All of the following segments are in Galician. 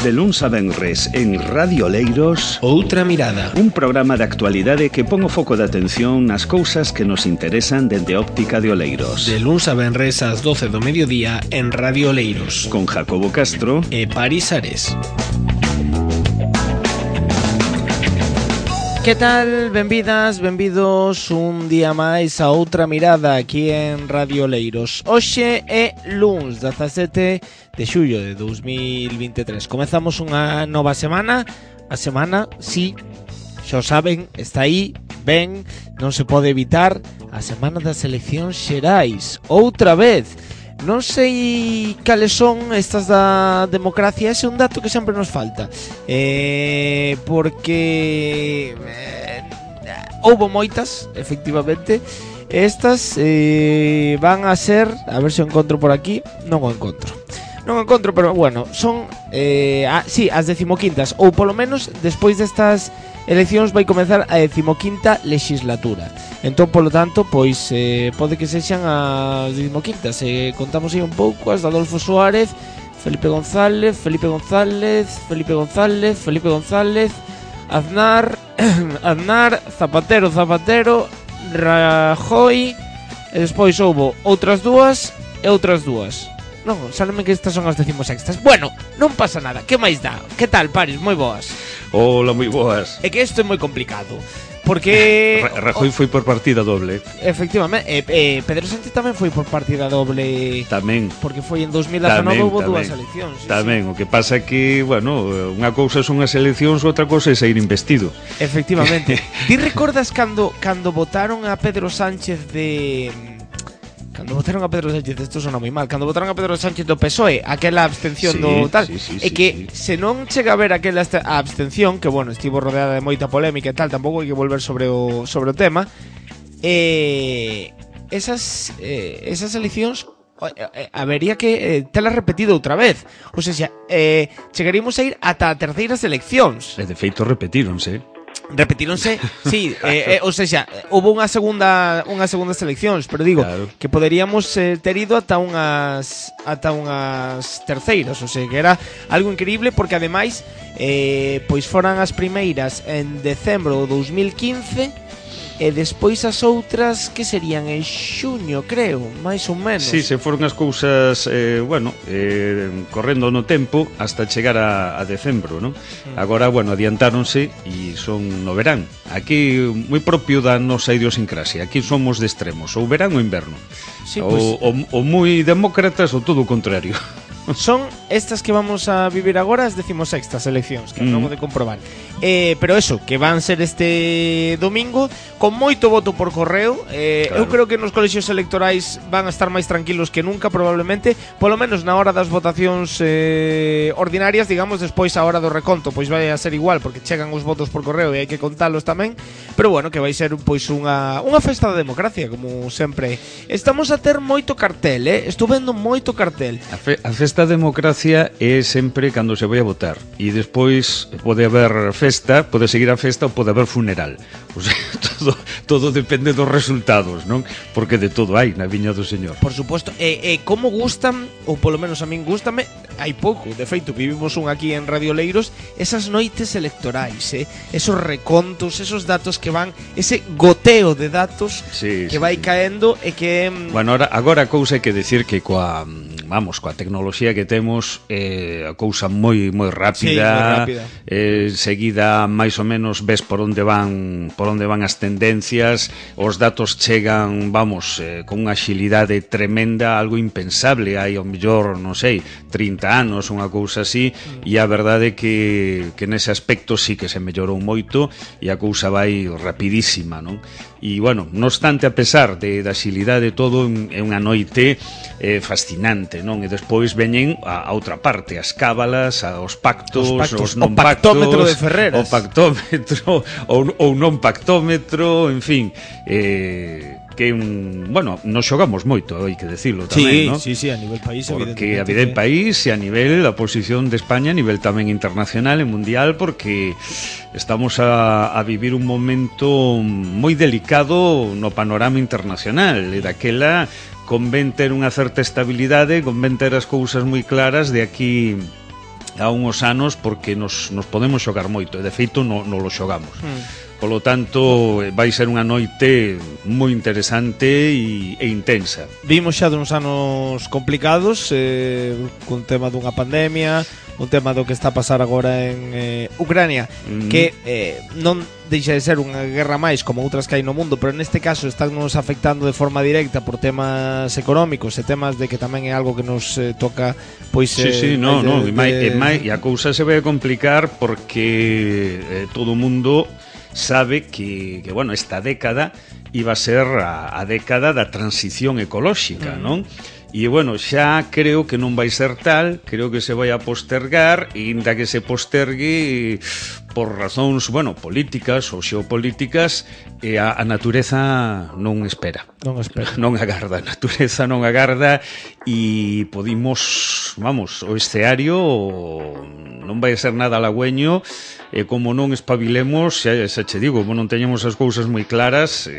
De luns a venres en Radio Oleiros, Outra Mirada, un programa de actualidade que pon o foco de atención nas cousas que nos interesan dende a óptica de Oleiros. de luns a venres ás 12 do mediodía en Radio Oleiros, Con Jacobo Castro e Paris Ares. Que tal? Benvidas, benvidos un día máis a Outra Mirada aquí en Radio Oleiros. Hoxe é luns 17 de xullo de 2023. Comezamos unha nova semana. A semana, sí, xa o saben, está aí, ben, non se pode evitar. A semana das eleccións xerais, outra vez. Non sei cales son estas da democracia. Ese é un dato que sempre nos falta, porque houbo moitas, efectivamente. Estas van a ser, a ver se o encontro por aquí. Non o encontro, pero bueno, son sí, as 15º, ou polo menos despois destas eleccións vai comezar a 15ª legislatura. Entón, polo tanto, pois pode que sexan as 15º. Contamos aí un pouco as de Adolfo Suárez, Felipe González, Aznar, Zapatero, Rajoy, e despois houbo outras dúas e outras dúas. Non, sáleme que estas son as 16º. Bueno, non pasa nada, que máis dá? Que tal, Paris? Moi boas. Hola, moi boas. É que isto é moi complicado, porque Rajoy foi por partida doble. efectivamente, Pedro Sánchez tamén foi por partida doble. Tamén. Porque foi en 2019, houve dúas eleccións. Sí, tamén, o que pasa é que, bueno, unha cousa son as eleccións, outra cousa é sair investido. Efectivamente. Ti recordas cando votaron a Pedro Sánchez isto sona moi mal. Cando votaron a Pedro Sánchez do PSOE, aquela abstención do tal, e que se non chega a ver aquela abstención, que bueno, estivo rodeada de moita polémica e tal, tampouco hai que volver sobre o tema. Esas eleccións habería que telas repetido outra vez. Ou seja, chegaríamos a ir ata a terceiras eleccións. E de feito repetíronse. Sí, ou seja, houve unhas segundas eleccións, pero digo, claro, que poderíamos ter ido ata unhas terceiras, ou sea, que era algo increíble, porque ademais pois foran as primeiras en decembro do 2015 e despois as outras que serían en xuño, creo, máis ou menos. Sí, se foron as cousas, correndo no tempo hasta chegar a decembro, non? Agora, bueno, adiantáronse e son no verán. Aquí, moi propio da nosa idiosincrasia. Aquí somos de extremos, ou verán ou inverno. Sí, pues, ou moi demócratas ou todo o contrario. Son estas que vamos a vivir agora as 16º eleccións, que acabo de comprobar. Pero eso, que van ser este domingo con moito voto por correo. Claro. Eu creo que nos colexios electorais van a estar máis tranquilos que nunca, probablemente, polo menos na hora das votacións ordinarias, digamos. Despois a hora do reconto pois vai a ser igual, porque chegan os votos por correo e hai que contalos tamén. Pero bueno, que vai ser pois unha festa da democracia, como sempre. Estamos a ter moito cartel, estou vendo moito cartel. A festa da democracia é sempre cando se vai a votar, e despois pode haber festa, pode seguir a festa ou pode haber funeral. O sea, todo depende dos resultados, non? Porque de todo hai na viña do Señor. Por suposto, como gustan, ou polo menos a min gústame, hai pouco, de feito, vivimos un aquí en Radio Oleiros, esas noites electorais, esos recontos, esos datos que van, ese goteo de datos que vai caendo e que... Bueno, agora a cousa hai que decir que coa tecnoloxía que temos, a cousa moi rápida, seguida máis ou menos ves por onde van as tendencias, os datos chegan, con unha axilidade tremenda, algo impensable hai ao mellor, non sei, 30 anos, unha cousa así, e a verdade é que nese aspecto sí que se mellorou moito e a cousa vai rapidísima, non? E, bueno, non obstante, a pesar da axilidade de todo, é unha noite fascinante, non? E despois veñen a outra parte, as cábalas, os pactos, os non pactos, o pactómetro de Ferreras, o pactómetro ou non pactómetro, en fin, que nos xogamos moito, hai que decirlo tamén, non? Sí, a nivel país, porque a nivel país e a nivel a posición de España a nivel tamén internacional e mundial, porque estamos a vivir un momento moi delicado no panorama internacional, e daquela convén ter unha certa estabilidade, convén ter as cousas moi claras de aquí há uns anos porque nos podemos xogar moito e de feito non lo xogamos. Polo tanto, vai ser unha noite moi interesante e intensa. Vimos xa duns anos complicados, cun tema dunha pandemia, un tema do que está a pasar agora en Ucrania, que non deixa de ser unha guerra máis como outras que hai no mundo, pero neste caso están nos afectando de forma directa por temas económicos e temas de que tamén é algo que nos toca, pois... Sí, e a cousa se vai a complicar porque todo o mundo sabe que bueno, esta década iba a ser a década da transición ecolóxica, non? E, bueno, xa creo que non vai ser tal, creo que se vai a postergar, e inda que se postergue por razóns, bueno, políticas ou xeopolíticas, a natureza non espera. Non agarda, a natureza non agarda, e podimos, vamos, o escenario non vai ser nada halagüeño, e como non espabilemos, xa che digo, como non teñemos as cousas moi claras,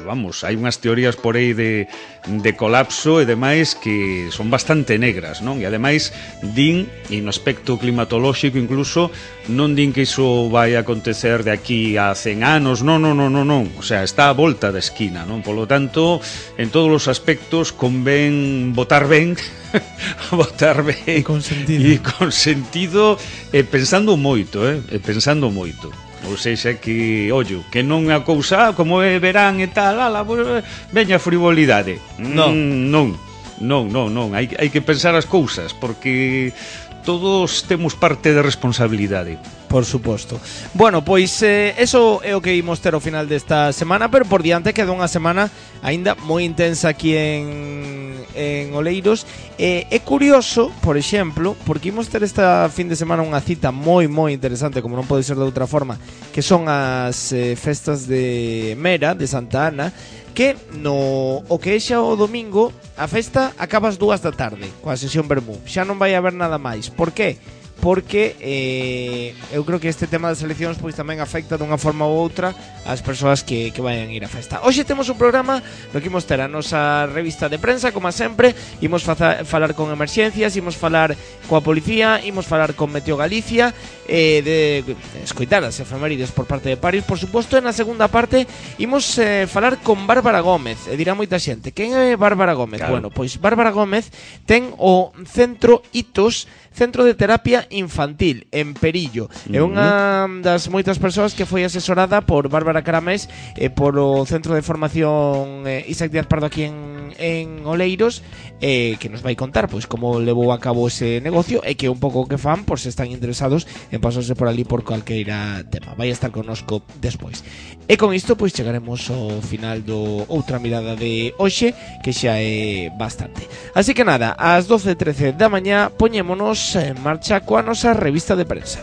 vamos, hai unhas teorías por aí de colapso e demais que son bastante negras, non? E ademais din, e no aspecto climatolóxico incluso, non din que iso vai acontecer de aquí a 100 anos, non, o sea, está a volta da esquina, non? Polo tanto, en todos os aspectos convén votar ben, e con sentido, e pensando moito, pensando moito. Ou seja, que, ollo, que non é a cousa, como é verán e tal, veña frivolidade. Non, hai que pensar as cousas, porque todos temos parte de responsabilidade. Por suposto. Bueno, pois eso é o que imos ter ao final desta semana, pero por diante queda unha semana aínda moi intensa aquí en Oleiros. É curioso, por exemplo, porque imos ter esta fin de semana unha cita moi interesante, como non pode ser de outra forma, que son as festas de Mera, de Santa Ana, que o que é xa o domingo, a festa acaba ás 2 da tarde, coa sesión vermú. Xa non vai haber nada máis. Por qué? Porque eu creo que este tema das eleccións pois tamén afecta dunha forma ou outra as persoas que vayan ir á festa. Hoxe temos un programa no que imos ter a nosa revista de prensa, como sempre, imos falar con emerxencias, imos falar coa policía, imos falar con Meteo Galicia, de escoitar as efemérides por parte de Paris, por suposto, e na segunda parte imos falar con Bárbara Gómez. E dirá moita xente, quen é Bárbara Gómez? Claro. Bueno, pois Bárbara Gómez ten o Centro Hitos, Centro de Terapia Infantil en Perillo. É unha das moitas persoas que foi asesorada por Bárbara Caramés e por o Centro de Formación Isaac Díaz Pardo aquí en Oleiros, que nos vai contar pois como levou a cabo ese negocio e que un pouco que fan por se están interesados en pasarse por ali por calqueira tema. Vai estar connosco despois. E con isto pois chegaremos ao final do outra mirada de hoxe, que xa é bastante. Así que nada, ás 12:13 da mañá poñémonos en marcha coa nosa revista de prensa.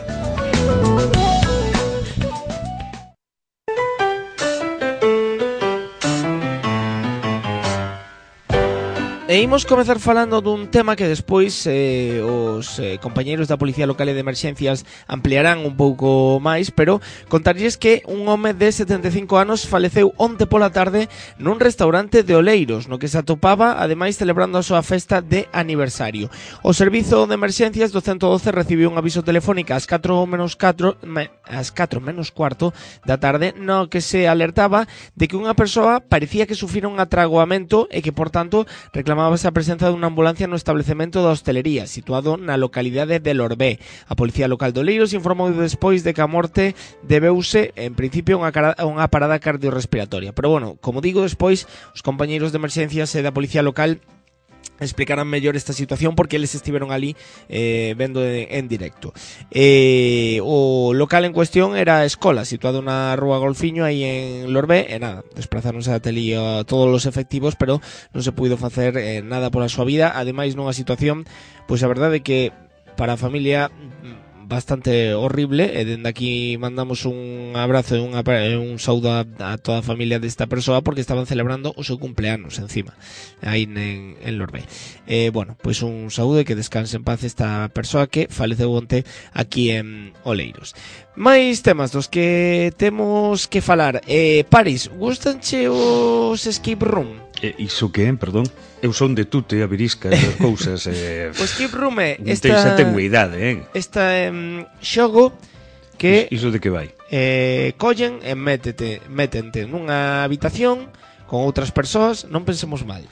E imos comezar falando dun tema que despois os compañeiros da Policía Local e de Emerxencias ampliarán un pouco máis, pero contarlles que un home de 75 anos faleceu onte pola tarde nun restaurante de Oleiros, no que se atopaba, ademais, celebrando a súa festa de aniversario. O Servizo de Emerxencias do 112 recibiu un aviso telefónico ás 4 menos cuarto da tarde, no que se alertaba de que unha persoa parecía que sufrira un atragoamento e que, por tanto, reclamaba a presenza dunha ambulancia no establecemento da hostelería situado na localidade de Lorbé. A Policía Local de Oleiros informou despois de que a morte debeuse en principio unha parada cardiorrespiratoria. Pero bueno, como digo, despois os compañeiros de emerxencias e da Policía Local explicarán mellor esta situación porque eles estiveron ali vendo en directo. O local en cuestión era a escola, situado na rúa Golfiño aí en Lorbé, e nada, desplazáronse ata ali a todos os efectivos, pero non se puido facer nada pola súa vida. Ademais, nunha situación, pois a verdade é que para a familia bastante horrible, e dende aquí mandamos un abrazo e un saúdo a toda a familia desta persoa porque estaban celebrando o seu cumpleanos encima aí en Lorbé. Bueno, pois un saúdo e que descanse en paz esta persoa que faleceu onte aquí en Oleiros. Mais temas dos que temos que falar. Paris, gustanche os escape room? Iso que, perdón? Eu son de tute, a virisca, as cousas. O Escape Room é esta tenguidade, esta xogo que iso de que vai? collen e métente nunha habitación con outras persoas, non pensemos mal.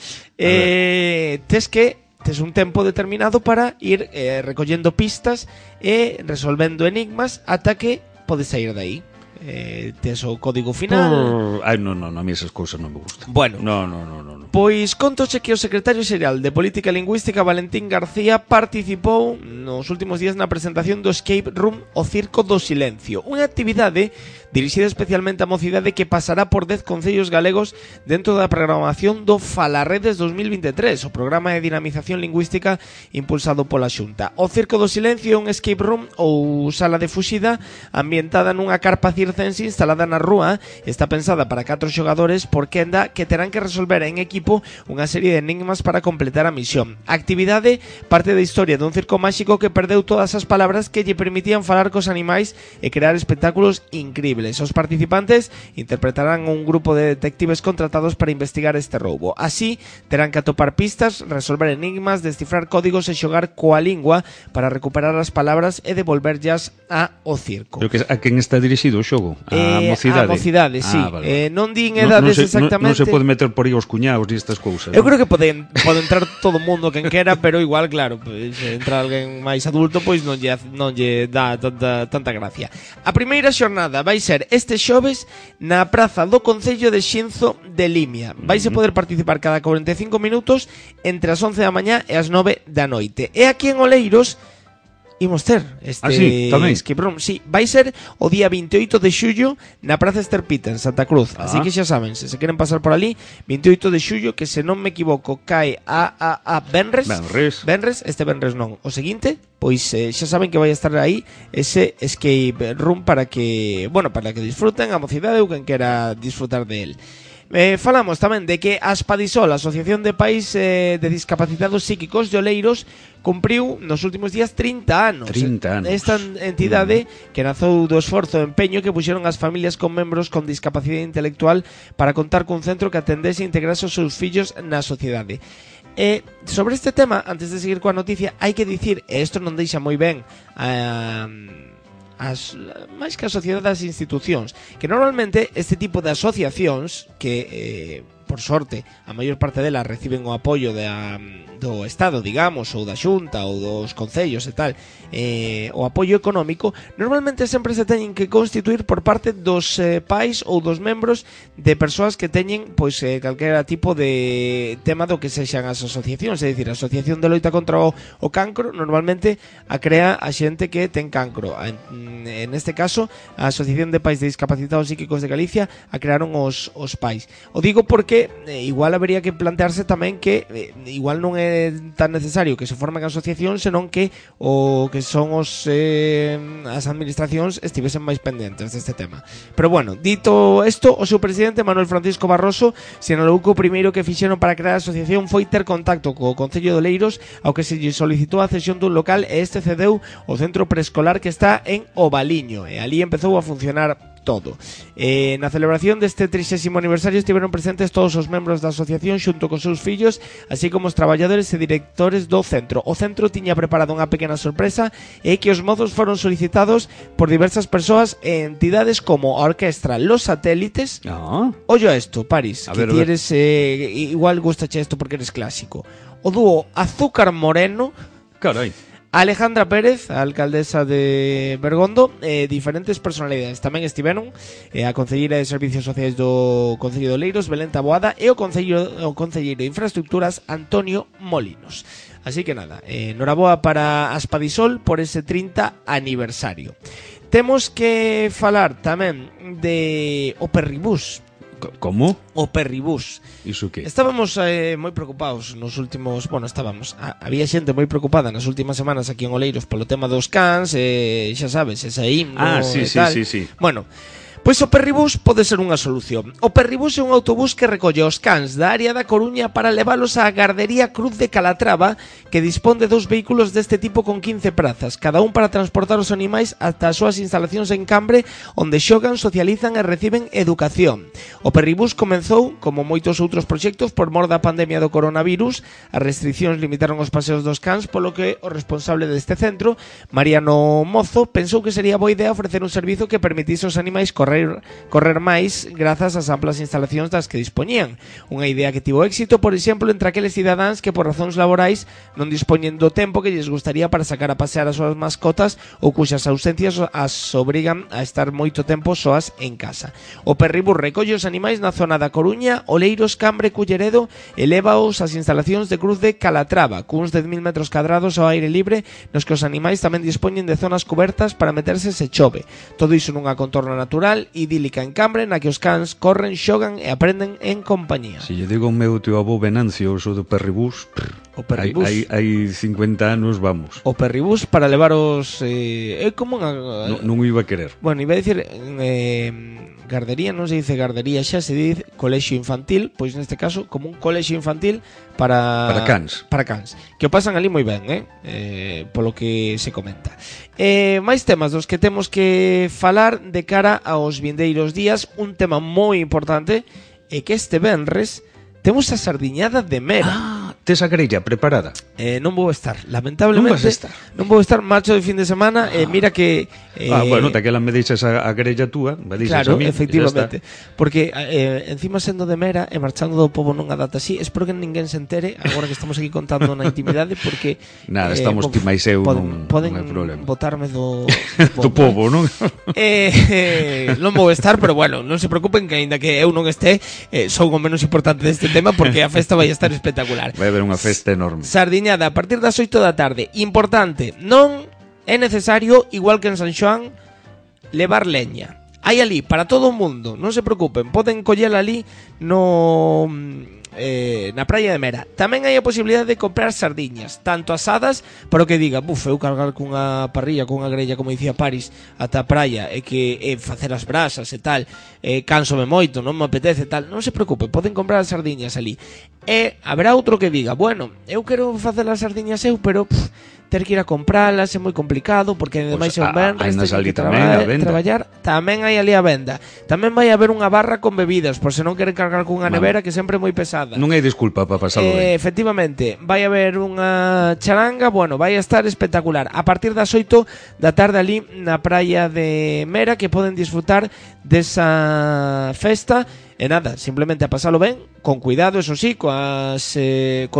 Tes un tempo determinado para ir recollendo pistas e resolvendo enigmas ata que podes sair de aí. Tes o código final. Non, a mí esas cousas non me gustan. Bueno, no. Pois contoche que o secretario xeral de Política Lingüística Valentín García participou nos últimos días na presentación do Escape Room O Circo do Silencio, unha actividade dirixida especialmente á mocidade que pasará por 10 concellos galegos dentro da programación do Falarredes 2023, o programa de dinamización lingüística impulsado pola Xunta. O Circo do Silencio é un escape room ou sala de fuxida ambientada nunha carpa circense instalada na rúa. Está pensada para 4 xogadores por quenda que terán que resolver en equipo unha serie de enigmas para completar a misión. A actividade parte da historia dun circo máxico que perdeu todas as palabras que lle permitían falar cos animais e crear espectáculos incríveis. Os participantes interpretarán un grupo de detectives contratados para investigar este roubo. Así, terán que atopar pistas, resolver enigmas, descifrar códigos e xogar coa lingua para recuperar as palabras e devolverllas ao circo. Pero que a quen está dirixido o xogo? A mocidade? A mocidade, sí. Vale. Non din edades exactamente. Non se pode meter por aí os cuñados e estas cousas. Eu creo que pode entrar todo o mundo quen quera, pero igual, claro, pues, se entra alguén máis adulto, pois non lle dá tanta gracia. A primeira xornada vai ser este xoves na praza do Concello de Xinzo de Limia. Vais a poder participar cada 45 minutos entre as 11 da mañá e as 9 da noite. E aquí en Oleiros imos ter este escape room. Sí, vai ser o día 28 de xullo na Praza Esterpita, en Santa Cruz. Así que xa saben, se queren pasar por ali, 28 de xullo, que se non me equivoco cae a Benres. Este Benres non. O seguinte, pois xa saben que vai estar aí ese escape room para que disfruten a mocidade ou quen quera disfrutar de él. Falamos tamén de que a Aspadisol, a Asociación de Pais de Discapacitados Psíquicos de Oleiros, cumpriu nos últimos días 30 anos. 30 anos. Esta entidade que nazou do esforzo e empeño que puxeron as familias con membros con discapacidade intelectual para contar cun centro que atendese e integrase os seus fillos na sociedade. Sobre este tema, antes de seguir coa noticia, hai que dicir, e isto non deixa moi ben máis que a sociedade das institucións, que normalmente este tipo de asociacións que, por sorte, a maior parte delas reciben o apoio do Estado, digamos, ou da Xunta ou dos concellos e tal, o apoio económico, normalmente sempre se teñen que constituir por parte dos pais ou dos membros de persoas que teñen pois calquera tipo de tema do que sexan as asociacións. É dicir, a Asociación de Loita contra o Cancro normalmente a crea a xente que ten cancro. En este caso, a Asociación de Pais de Discapacitados Psíquicos de Galicia a crearon os pais. O digo porque igual habería que plantearse tamén que igual non é tan necesario que se formen asociacións, senón que o que son as administracións estivesen máis pendentes deste tema. Pero bueno, dito isto, o seu presidente Manuel Francisco Barroso sinalou que o primeiro que fixeron para crear a asociación foi ter contacto co Concello de Oleiros, ao que se lle solicitou a cesión dun local, e este cedeu o centro preescolar que está en Ovaliño, e ali empezou a funcionar todo. Na celebración deste 30º aniversario estiveron presentes todos os membros da asociación xunto cos seus fillos, así como os traballadores e directores do centro. O centro tiña preparado unha pequena sorpresa, e que os mozos foron solicitados por diversas persoas e entidades como a orquestra Los Satélites. Ollo a esto, Paris, que ti eres igual gustache isto porque eres clásico. O dúo Azúcar Moreno. Carai. Alejandra Pérez, a alcaldesa de Bergondo, diferentes personalidades tamén estiveron, a concelleira de Servicios Sociais do Concello de Oleiros, Belén Taboada, e o concelleiro de Infraestructuras, Antonio Molinos. Así que nada, noraboa para Aspadisol por ese 30 aniversario. Temos que falar tamén de o Perribús. Como? O Perribús. Iso que? Estábamos moi preocupados nos últimos... Bueno, había xente moi preocupada nas últimas semanas aquí en Oleiros polo tema dos cans, xa sabes, esa himno sí. Bueno, Pois o Perribús pode ser unha solución. O Perribús é un autobús que recolle os cans da área da Coruña para leválos á gardería Cruz de Calatrava, que dispón de 2 vehículos deste tipo con 15 prazas, cada un para transportar os animais ata as súas instalacións en Cambre, onde xogan, socializan e reciben educación. O Perribús comenzou, como moitos outros proxectos, por mor da pandemia do coronavirus. As restriccións limitaron os paseos dos cans, polo que o responsable deste centro, Mariano Mozo, pensou que sería boa idea ofrecer un servizo que permitise aos animais correr máis grazas ás amplas instalacións das que dispoñían. Unha idea que tivo éxito, por exemplo, entre aqueles cidadáns que por razóns laborais non dispoñen do tempo que lles gustaría para sacar a pasear as súas mascotas ou cuxas ausencias as obrigan a estar moito tempo soas en casa. O Perribús recolle os animais na zona da Coruña, Oleiros, Cambre, Culleredo e lévaos ás instalacións de Cruz de Calatrava, cuns 10.000 metros cadrados ao aire libre, nos que os animais tamén dispoñen de zonas cubertas para meterse se chove. Todo iso nunha contorna natural idílica en Cambre, na que os cans corren, xogan e aprenden en compañía. Se lle digo ao meu tio avó Venancio o do Perribús, o Perribús hai 50 anos, vamos. O Perribús para levar os... é como unha... Non iba a querer. Bueno, iba a dicir... gardería, non se dice gardería xa, se dice colexio infantil, pois neste caso como un colexio infantil para cans, que o pasan ali moi ben, polo que se comenta. Máis temas dos que temos que falar de cara aos vindeiros días. Un tema moi importante é que este venres temos a sardiñada de Mera. Tes a grella preparada? Non vou estar, lamentablemente. Non vou estar, marcho de fin de semana. Mira que... bueno, daquela me deixas a grella túa, me deixas claro, a mí, efectivamente. Porque encima sendo de Mera e marchando do pobo nunha data así, espero que ninguén se entere agora que estamos aquí contando na intimidade, porque nada, estamos ti máis eu, non hai problema. Botarme do do pobo, non? Non vou estar, pero bueno, non se preocupen que aínda que eu non este, son o menos importante deste tema, porque a festa vai estar espectacular. Vai haber unha festa enorme. Sardiñada a partir das 8 da tarde. Importante, non é necesario, igual que en San Xoán, levar leña. Hai ali para todo o mundo, non se preocupen, poden collela ali no na praia de Mera. Tamén hai a posibilidade de comprar sardiñas, tanto asadas, para o que diga, eu cargar cunha parrilla, cunha grella, como dicía Paris, ata a praia, e que facer as brasas e tal, cánsome moito, non me apetece tal, non se preocupe, poden comprar as sardiñas ali. E haberá outro que diga, bueno, eu quero facer as sardiñas pero ter que ir a compralas é moi complicado, porque ademais é un venres, ten que traballar. Tamén hai ali a venda. Tamén vai haber unha barra con bebidas, por se non queren cargar cunha nevera, que sempre é moi pesada. Non hai disculpa para pasalo ben. Efectivamente, vai haber unha charanga, bueno, vai a estar espectacular. A partir das 8 da tarde ali na praia de Mera, que poden disfrutar desa festa. E nada, simplemente a pasalo ben, con cuidado, eso sí, co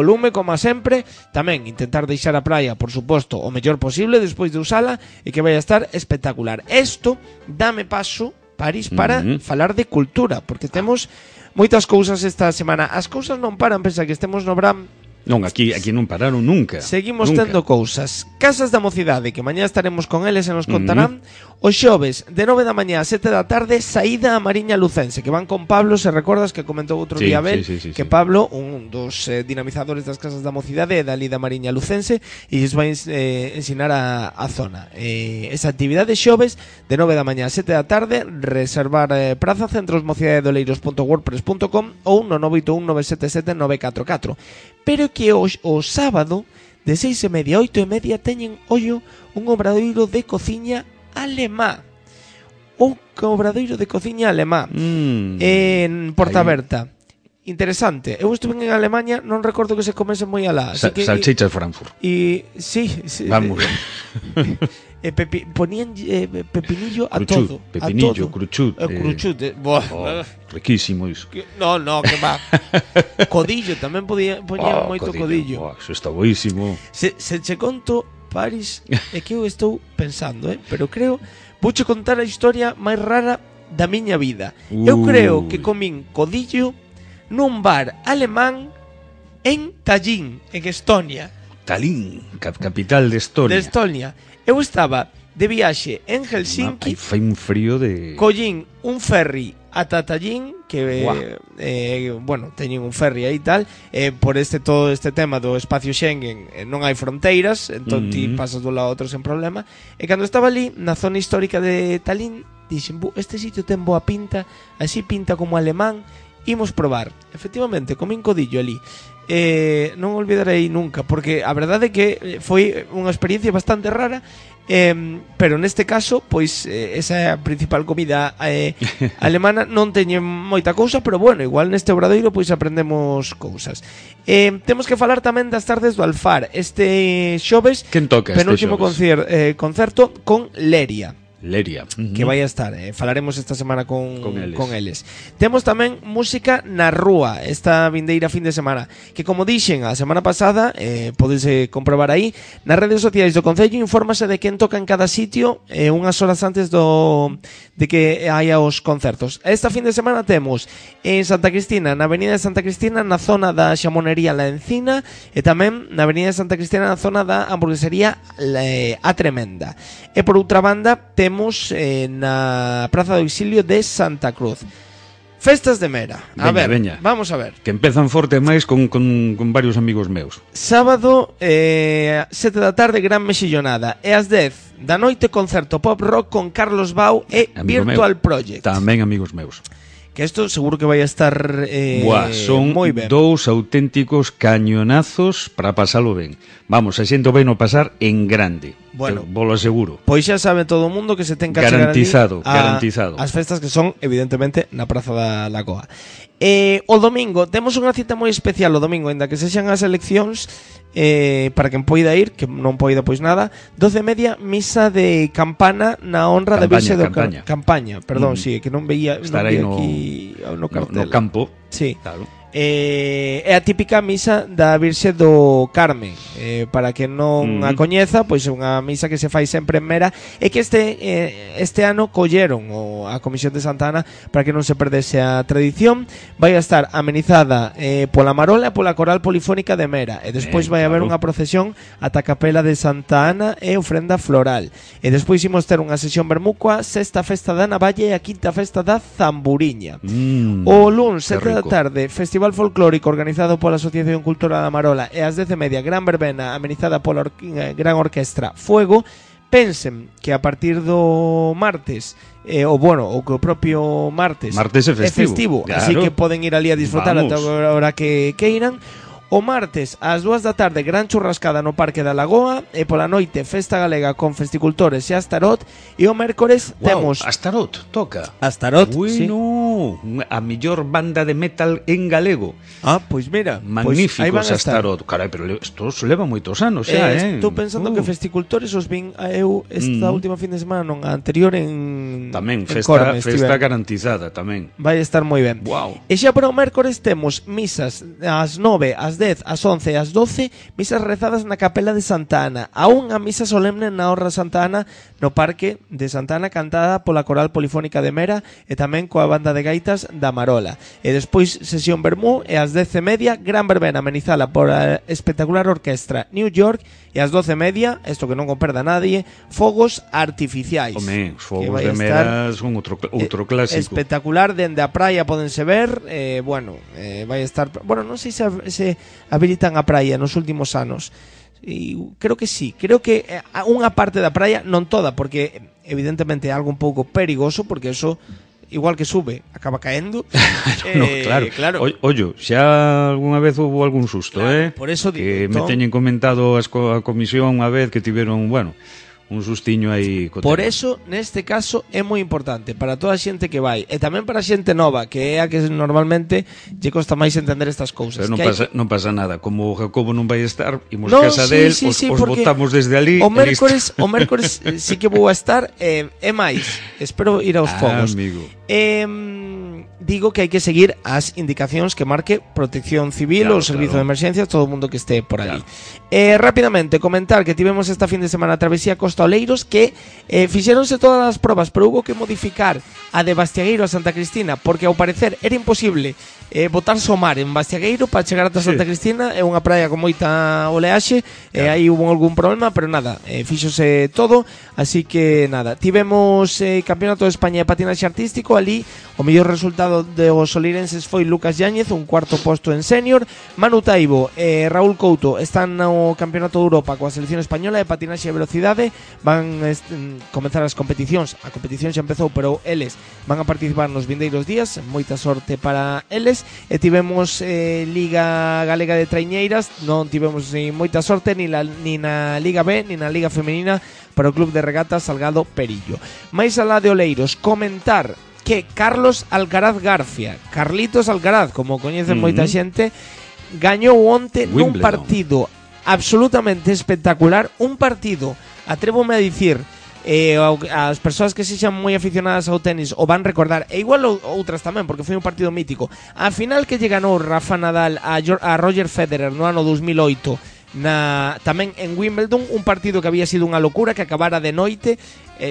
lume, como sempre. Tamén intentar deixar a praia, por suposto, o mellor posible despois de usala, e que vai a estar espectacular. Isto dame paso, París, para falar de cultura, porque temos moitas cousas esta semana. As cousas non paran, pensa que estemos no Bram. Non, aquí non pararon nunca. Seguimos tendo cousas. Casas da Mocidade, que mañá estaremos con eles e nos contarán. Os xoves, de 9 da mañá a 7 da tarde, saída a Mariña Lucense, que van con Pablo, se recordas que comentou outro día Abel, que Pablo, un dos dinamizadores das Casas da Mocidade, é dali da Mariña Lucense, e lles vai ensinar a zona. Esa actividade xoves, de 9 da mañá a 7 da tarde, reservar praza, centrosmocidadedoleiros.wordpress.com ou no 981 977 944. Pero que o sábado, de 6:30 a 8:30, teñen, ollo, un obradoiro de cociña alemá. Un obradoiro de cociña alemá en Portaberta. Interesante. Eu estuve en Alemania, non recordo que se comese moi alá. Salchichas Frankfurt. Sí. Vamos. Ponían pepinillo a cruchut, todo. Pepinillo, a todo. cruchut. Riquísimo iso. No, que va. Codillo, tamén poñían moito codillo. Eso está boísimo. Se che conto, Paris, é que eu estou pensando, pero creo, vouche contar a historia máis rara da miña vida. Eu creo que comín codillo nun bar alemán en Tallinn, en Estonia. Tallinn, capital de Estonia. Eu estaba de viaxe en Helsinki. Fai un frío de... Collín un ferry ata Tallinn, que bueno, teñen un ferry aí e tal, por todo este tema do espacio Schengen non hai fronteiras, entón ti pasas dun lado a outro sen problema. E cando estaba ali na zona histórica de Tallinn, dixen, este sitio ten boa pinta, así pinta como alemán, imos probar. Efectivamente, comín codillo ali. Non olvidarei nunca, porque a verdade é que foi unha experiencia bastante rara, pero neste caso, pois esa é a principal comida alemana. Non teñen moita cousa, pero bueno, igual neste obradoiro pois aprendemos cousas. Temos que falar tamén das tardes do Alfar. Este xoves, penúltimo concerto con Leria, que vai a estar, falaremos esta semana con eles. Temos tamén música na rúa esta vindeira fin de semana, que como dixen a semana pasada, podes comprobar aí nas redes sociais do Concello, infórmase de quen toca en cada sitio unhas horas antes de que haya os concertos. Esta fin de semana temos en Santa Cristina, na avenida de Santa Cristina, na zona da Xamonería La Encina, e tamén na avenida de Santa Cristina, na zona da hamburguesería A Tremenda. E por outra banda temos na Praza do Exilio de Santa Cruz. Festas de Mera. Vamos a ver. Que empezan forte máis con varios amigos meus. Sábado, 7 da tarde, gran mexillonada. E ás 10 da noite, concerto pop rock con Carlos Bau e Virtual Project. Tamén amigos meus. Que isto seguro que vai a estar son moi ben. Dous auténticos cañonazos para pasalo ben. Vamos, a xente vai no pasar en grande. Bueno, volo aseguro. Pois xa sabe todo o mundo que se ten que garantizado. As festas que son, evidentemente, na Praza da Lagoa. O domingo, temos unha cita moi especial o domingo, ainda que sexan as eleccións, para quen poida ir, que non poida pois nada. 12:30, misa de campana na honra da Virxe do Campaña. Perdón, sí, que non veía aquí no cartel. No campo. Sí. Claro. É a típica misa da Virxe do Carmen, para que non a coñeza, pois é unha misa que se fai sempre en Mera, e que este ano colleron a Comisión de Santa Ana para que non se perdese a tradición. Vai a estar amenizada pola Marola e pola Coral Polifónica de Mera, e despois vai haber unha procesión ata a Capela de Santa Ana e ofrenda floral, e despois imos ter unha sesión vermúcoa, sexta festa da Navalle e a quinta festa da Zamburiña. O luns, 7 da tarde, Festival Folclórico organizado pola Asociación Cultural da Marola, e ás 10:30, gran verbena amenizada pola gran orquestra Fuego. Pensen que a partir do martes, o que o propio martes é festivo, claro. Así que poden ir ali a disfrutar ata a hora que queiran. O martes, ás 2 da tarde, gran churrascada no Parque da Lagoa, e pola noite, festa galega con festicultores e Astarot. E o mércores temos... Astarot, toca. Astarot, sí. A mellor banda de metal en galego. Pois mira, magníficos Astarot. Carai, pero isto leva moitos anos xa, Estou pensando que festicultores os vin eu esta última fin de semana, non, a anterior en... Tamén, festa garantizada, tamén. Vai estar moi ben. E xa para o mércores temos misas ás 9, ás 10, ás 11 e ás 12, misas rezadas na Capela de Santa Ana. A unha misa solemne na Honra Santa Ana no Parque de Santa Ana, cantada pola Coral Polifónica de Mera e tamén coa banda de gaitas da Marola. E despois sesión vermú, e ás 10:30, gran verbena amenizada por a espectacular orquestra New York, e ás 12:30, isto que non o perda nadie, fogos artificiais. Home, os fogos de Mera son outro clásico. Espectacular, dende a praia podense ver, vai estar... Bueno, non sei se habilitan a praia nos últimos anos. E creo que sí, creo que unha parte da praia, non toda, porque evidentemente é algo un pouco perigoso, porque eso igual que sube, acaba caendo. Claro. Ollo, xa algunha vez houve algún susto, por eso digo, que me teñen comentado a comisión unha vez que tiveron, un sustiño aí. Por eso, neste caso, é moi importante para toda a xente que vai, e tamén para a xente nova, que é a que normalmente lle costa máis entender estas cousas. Pero non pasa nada, como o Jacobo non vai estar, imos casa del, os botamos desde ali. O mércores sí que vou a estar, é máis, espero ir aos fogos. Amigo. Digo que hai que seguir as indicacións que marque Protección Civil ou Servizo de Emerxencias, todo o mundo que este por ali. Rápidamente, comentar que tivemos esta fin de semana a travesía Costa Oleiros, que fixeronse todas as probas, pero hubo que modificar a de Bastiagueiro a Santa Cristina, porque ao parecer era imposible botarse o mar en Bastiagueiro para chegar ata Santa Cristina. É unha praia con moita oleaxe, aí hubo algún problema, pero nada, fíxose todo, así que nada, tivemos Campeonato de España de Patinaxe Artístico. Ali o mellor resultado dos solirenses foi Lucas Yáñez, un cuarto posto en senior. Manu Taibo e Raúl Couto están no Campeonato de Europa coa selección española de patinaxe e velocidade. Van comenzar as competicións. A competición xa empezou, pero eles van a participar nos vindeiros días. Moita sorte para eles. E tivemos Liga Galega de Traiñeiras. Non tivemos ni moita sorte ni na Liga B ni na Liga Femenina para o Club de Regatas Salgado Perillo. Mais alá de Oleiros, comentar que Carlos Alcaraz García, Carlitos Alcaraz, como coñecen moita xente, gañou onte nun partido absolutamente espectacular. Un partido, atrévome a dicir, as persoas que sexan moi aficionadas ao tenis o van recordar, e igual outras tamén, porque foi un partido mítico. A final que lle ganou Rafa Nadal a Roger Federer no ano 2008 tamén en Wimbledon, un partido que había sido unha locura, que acabara de noite.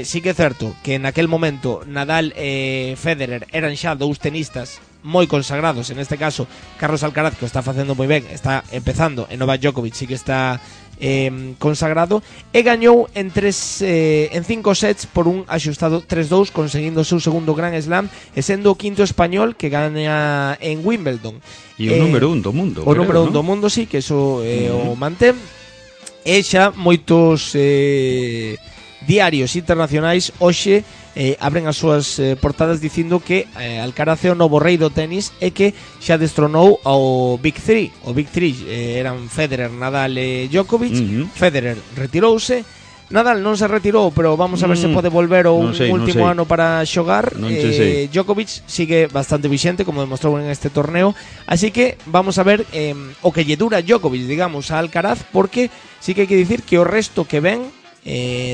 Sí que é certo que naquel momento Nadal e Federer eran xa dous tenistas moi consagrados. En este caso Carlos Alcaraz, que o está facendo moi ben, está empezando, e Novak Djokovic sí que está consagrado, e gañou en 5 sets por un axustado 3-2, conseguindo o seu segundo Grand Slam e sendo o quinto español que gaña en Wimbledon. E o número 1 do mundo. O número 1 do mundo, sí, que eso o mantén. E xa moitos diarios internacionais hoxe abren as súas portadas dicindo que Alcaraz é o novo rei do tenis e que xa destronou ao Big 3. O Big 3 eran Federer, Nadal e Djokovic. Federer retirouse, Nadal non se retirou, pero vamos a ver se pode volver o último ano para xogar. Djokovic sigue bastante vixente, como demostrou en este torneo, así que vamos a ver o que lle dura Djokovic, digamos, a Alcaraz, porque sí que hai que dicir que o resto que ven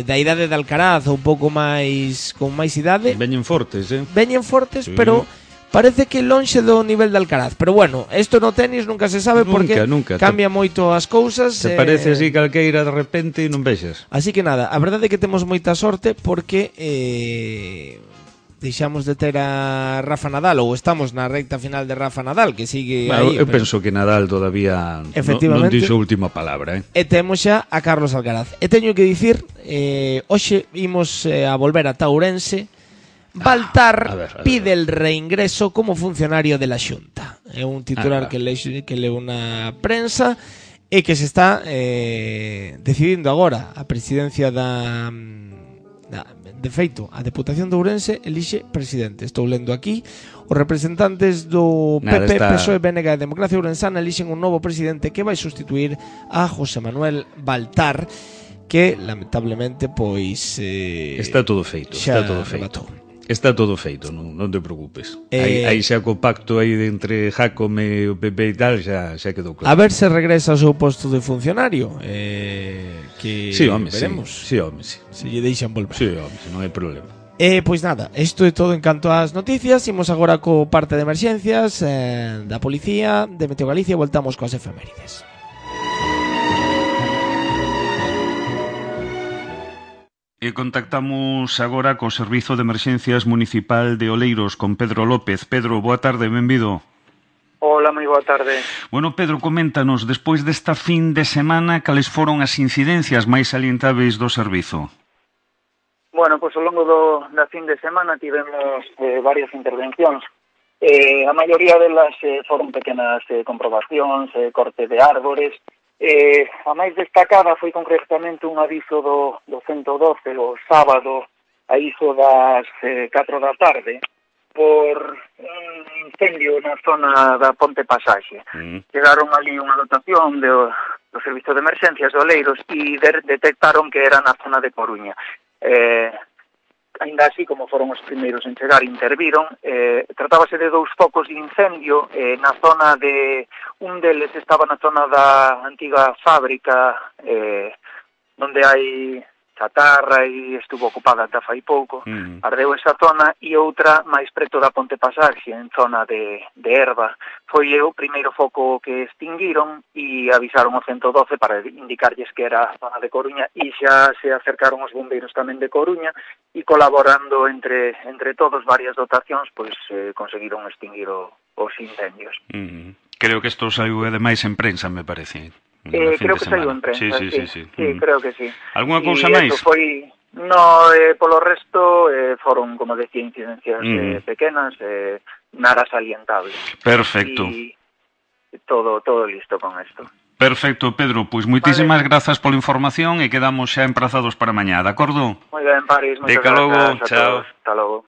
da idade de Alcaraz, un pouco máis con máis idade, veñen fortes, sí. Pero parece que lonxe do nivel de Alcaraz. Pero bueno, isto no tenis nunca se sabe, porque cambia moito as cousas. Se parece así calqueira de repente e non vexas. Así que nada, a verdade é que temos moita sorte, porque deixamos de ter a Rafa Nadal, ou estamos na recta final de Rafa Nadal, que sigue aí. Eu penso que Nadal todavía non dixo a última palabra. E temos xa a Carlos Alcaraz. E teño que dicir, hoxe imos a volver a Ourense. Baltar pide el reingreso como funcionario de la Xunta. É un titular que leu na prensa e que se está decidindo agora. A presidencia de feito, a Deputación de Ourense elixe presidente. Estou lendo aquí. Os representantes do PP, PSOE, BNG e Democracia Ourensana elixen un novo presidente que vai sustituir a José Manuel Baltar, que lamentablemente pois está todo feito, Está todo feito, non te preocupes. Aí xa co pacto aí entre Jácome e o PP e tal, xa quedou claro. A ver se regresa ao seu posto de funcionario, que sí, home, veremos. Sí, home, sí. Se lle deixan volver. Sí, home, non hai problema. Pois nada, isto é todo en canto ás noticias. Imos agora co parte de emerxencias, da Policía, de Meteo Galicia, e voltamos coas efemérides. E contactamos agora co Servizo de Emerxencias Municipal de Oleiros con Pedro López. Pedro, boa tarde, benvido. Hola, moi boa tarde. Bueno, Pedro, coméntanos, despois desta fin de semana, cales foron as incidencias máis salientáveis do servizo? Bueno, pois ao longo da fin de semana tivemos varias intervencións. A maioría delas foron pequenas comprobacións, corte de árbores. A máis destacada foi concretamente un aviso do 112 o sábado a iso das 4 da tarde por un incendio na zona da Ponte Pasaxe. Chegaron ali unha dotación do Servizo de Emerxencias de Oleiros e detectaron que era na zona de Coruña. Ainda así, como foron os primeiros en chegar, interviron. Tratábase de 2 focos de incendio na zona de... Un deles estaba na zona da antiga fábrica, onde hai chatarra e estuvo ocupada ata fai pouco, ardeu esa zona, e outra máis preto da Ponte Pasaxe, en zona de Erva. Foi o primeiro foco que extinguiron e avisaron o 112 para indicarlles que era a zona de Coruña, e xa se acercaron os bombeiros tamén de Coruña, e colaborando entre todos varias dotacións, pois conseguiron extinguir os incendios. Creo que isto saiu ademais en prensa, me parece. Creo que saiu en prensa, sí, creo que sí. Algúna cousa máis? No, polo resto foron, como decía, incidencias pequenas, nada salientable. Perfecto. E todo listo con isto. Perfecto, Pedro, pois moitísimas grazas pola información e quedamos xa emprazados para mañá, de acordo? Moi ben, Paris, moitas grazas a todos. Hasta logo.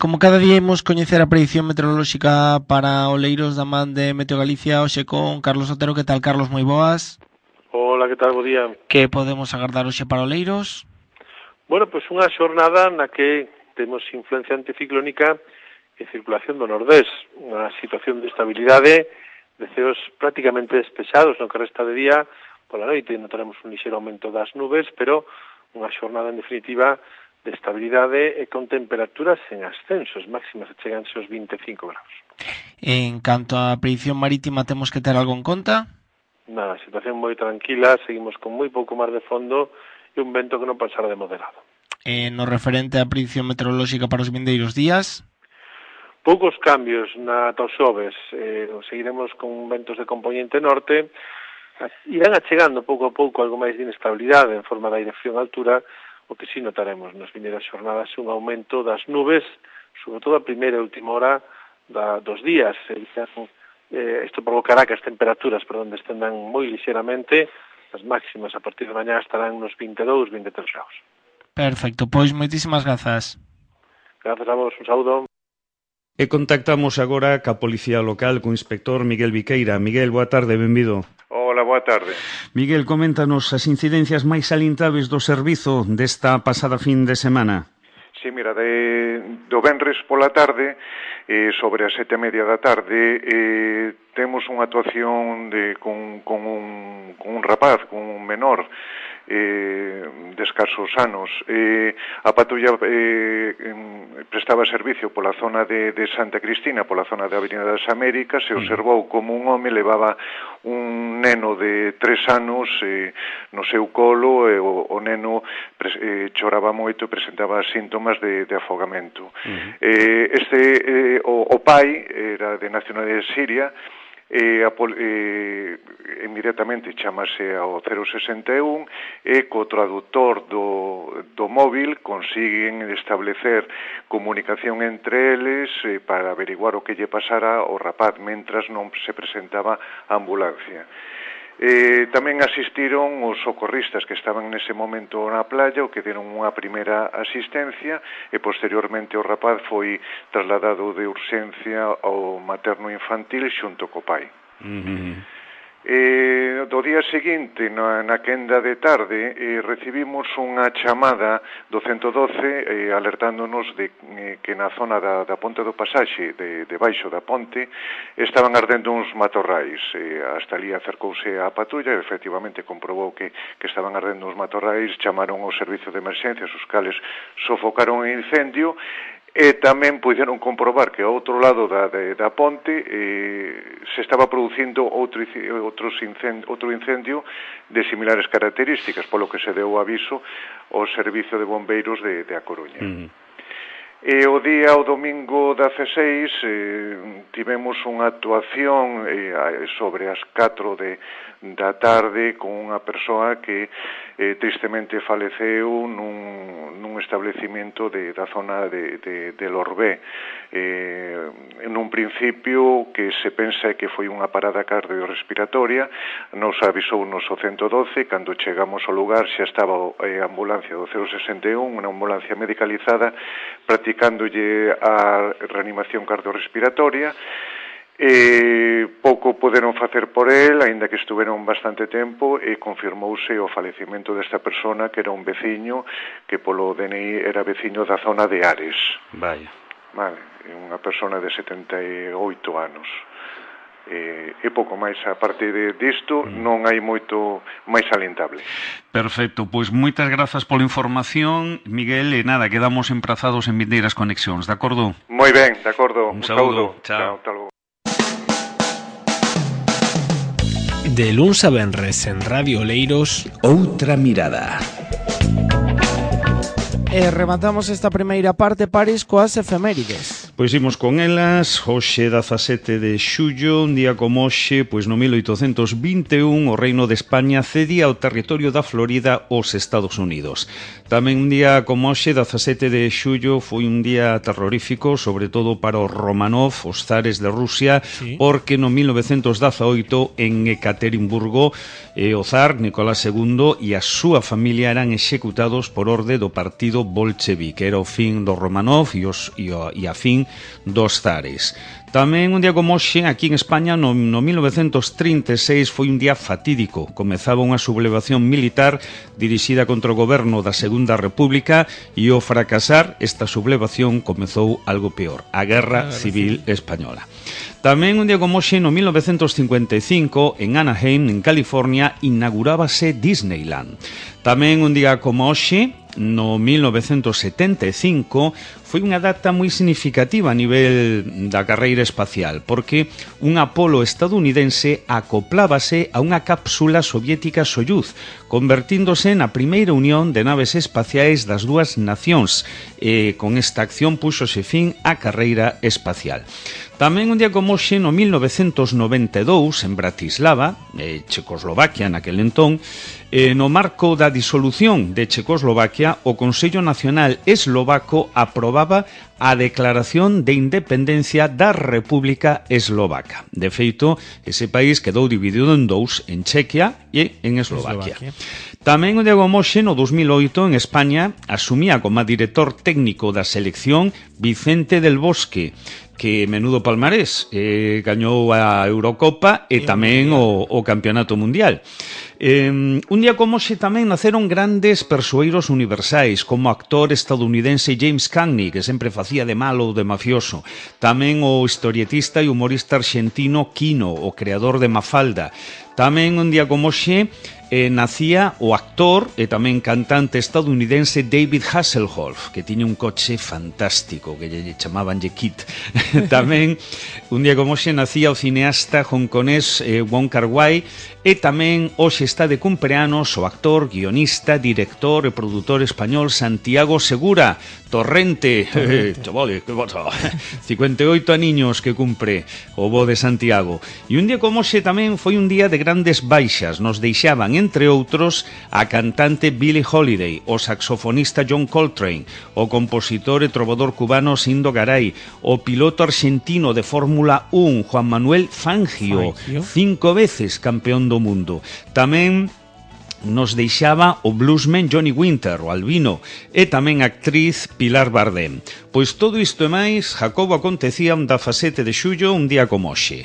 Como cada día imos coñecer a predicción meteorolóxica para Oleiros da man de Meteo Galicia, hoxe con Carlos Otero. Que tal, Carlos? Moi boas. Hola, que tal? Bo día. Que podemos agardar hoxe para Oleiros? Bueno, pois unha xornada na que temos influencia anticiclónica e circulación do nordés, unha situación de estabilidade, de ceos prácticamente despejados no que resta de día. Pola noite notaremos un lixeiro aumento das nubes, pero unha xornada en definitiva de estabilidade e con temperaturas en ascensos, máximas cheganse aos 25 graus. En canto á predicción marítima, temos que ter algo en conta? Nada, situación moi tranquila, seguimos con moi pouco mar de fondo e un vento que non pasará de moderado. No referente á predicción meteorolóxica para os vindeiros días? Poucos cambios na ata os xoves, seguiremos con ventos de componente norte, irán achegando pouco a pouco algo máis de inestabilidade en forma de aire frío en altura, o que sí notaremos nas vindeiras xornadas un aumento das nubes, sobre todo a primeira e última hora dos días. Isto provocará que as temperaturas descendan moi lixeramente, as máximas a partir de mañá estarán nos 22, 23 graus. Perfecto, pois moitísimas grazas. Grazas a vos, un saúdo. E contactamos agora ca Policía Local, co inspector Miguel Viqueira. Miguel, boa tarde, benvido. Hola, boa tarde. Miguel, coméntanos as incidencias máis salientáveis do servizo desta pasada fin de semana. Sí, mira, do venres pola tarde, sobre as 7:30 da tarde, temos unha actuación con un rapaz, con un menor, de escasos anos. A patrulla prestaba servicio pola zona de Santa Cristina, pola zona da Avenida das Américas, e observou como un home levaba un neno de 3 anos no seu colo, e o neno choraba moito e presentaba síntomas de afogamento. O pai era de nacionalidade siria, inmediatamente chamase ao 061 e co traductor do móvil consiguen establecer comunicación entre eles para averiguar o que lle pasara ao rapaz mentras non se presentaba a ambulancia. Tamén asistiron os socorristas que estaban nese momento na playa, o que deron unha primeira asistencia, e posteriormente o rapaz foi trasladado de urxencia ao materno infantil xunto co pai. Do día seguinte, na quenda de tarde, recibimos unha chamada do 112 alertándonos de que na zona da Ponte do Pasaxe, debaixo da ponte, estaban ardendo uns matorrais. Hasta ali acercouse a patrulla e efectivamente comprobou que estaban ardendo uns matorrais, chamaron ao servicio de emerxencias, os cales sofocaron o incendio, e tamén puderon comprobar que ao outro lado da ponte se estaba producindo outro incendio de similares características, polo que se deu aviso ao Servicio de Bombeiros de A Coruña. E o domingo 16 tivemos unha actuación sobre as 4 da tarde con unha persoa que tristemente faleceu nun establecimento da zona de Lorbé. Nun principio que se pensa que foi unha parada cardiorrespiratoria, nos avisou o 112, cando chegamos ao lugar xa estaba a ambulancia do 061, unha ambulancia medicalizada, practicándolle a reanimación cardiorrespiratoria. Pouco poderon facer por el, aínda que estuveron bastante tempo, e confirmouse o falecimento desta persona, que era un veciño, que polo DNI era veciño da zona de Ares. Vaya. Vale, unha persona de 78 anos. e pouco máis. A parte disto non hai moito máis salientable. Perfecto, pois moitas grazas pola información, Miguel, e nada, quedamos emprazados en vindeiras conexións, de acordo? Moi ben, de acordo. Un saúdo. Chao. Hasta logo. De luns a venres en Radio Oleiros, Outra mirada. E rematamos esta primeira parte, Paris, coas efemérides. Pois imos con elas. Hoxe 17 de xullo, un día como hoxe, pois no 1821 o Reino de España cedía o territorio da Florida aos Estados Unidos. Tamén un día como hoxe, 17 de xullo, foi un día terrorífico, sobre todo para os Romanov, os zares de Rusia, sí, porque no 1918 en Ekaterimburgo o zar Nicolás II e a súa familia eran executados por orde do partido bolchevique. Era o fin dos Romanov e a fin dos zares. Tamén un día como hoxe, aquí en España, no 1936, foi un día fatídico. Comezaba unha sublevación militar dirixida contra o goberno da Segunda República e ao fracasar esta sublevación comezou algo peor, a Guerra Civil Española. Tamén un día como hoxe, no 1955, en Anaheim, en California, inaugurábase Disneyland. Tamén un día como hoxe, no 1975, foi unha data moi significativa a nivel da carreira espacial, porque un Apolo estadounidense acoplábase a unha cápsula soviética Soyuz, convertíndose na primeira unión de naves espaciais das dúas nacións, e con esta acción púxose fin á carreira espacial. Tamén un día como hoxe, no 1992, en Bratislava, Checoslovaquia naquel entón, no marco da disolución de Checoslovaquia, o Consello Nacional Eslovaco aprobaba a declaración de independencia da República Eslovaca. De feito, ese país quedou dividido en dous, en Chequia e en Eslovaquia. Tamén o día como hoxe, no 2008, en España, asumía como director técnico da selección Vicente del Bosque, que menudo palmarés, gañou a Eurocopa e tamén o Campeonato Mundial. Un día como hoxe tamén naceron grandes persoeiros universais, como o actor estadounidense James Cagney, que sempre facía de malo ou de mafioso. Tamén o historietista e humorista arxentino Quino, o creador de Mafalda. Tamén un día como hoxe nacía o actor e tamén cantante estadounidense David Hasselhoff, que tiña un coche fantástico que lle chamaban Kit. Tamén un día como hoxe nacía o cineasta hongkonés Wong Kar-wai, e tamén hoxe está de cumpleanos o actor, guionista, director e produtor español Santiago Segura. Torrente. Chavales, que pasa? 58 aniños que cumpre o bo de Santiago. E un día como hoxe tamén foi un día de grandes baixas. Nos deixaban, entre outros, a cantante Billie Holiday, o saxofonista John Coltrane, o compositor e trovador cubano Sindo Garay, o piloto arxentino de Fórmula 1 Juan Manuel Fangio, 5 veces campeón do mundo. Tamén nos deixaba o bluesman Johnny Winter, o albino, e tamén a actriz Pilar Bardem. Pois todo isto e máis, Jacobo, acontecía un 17 de xullo, un día como hoxe.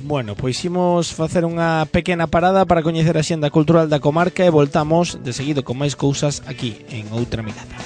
Bueno, pois imos facer unha pequena parada para coñecer a xenda cultural da comarca e voltamos de seguido con máis cousas aquí en Outra Mirada.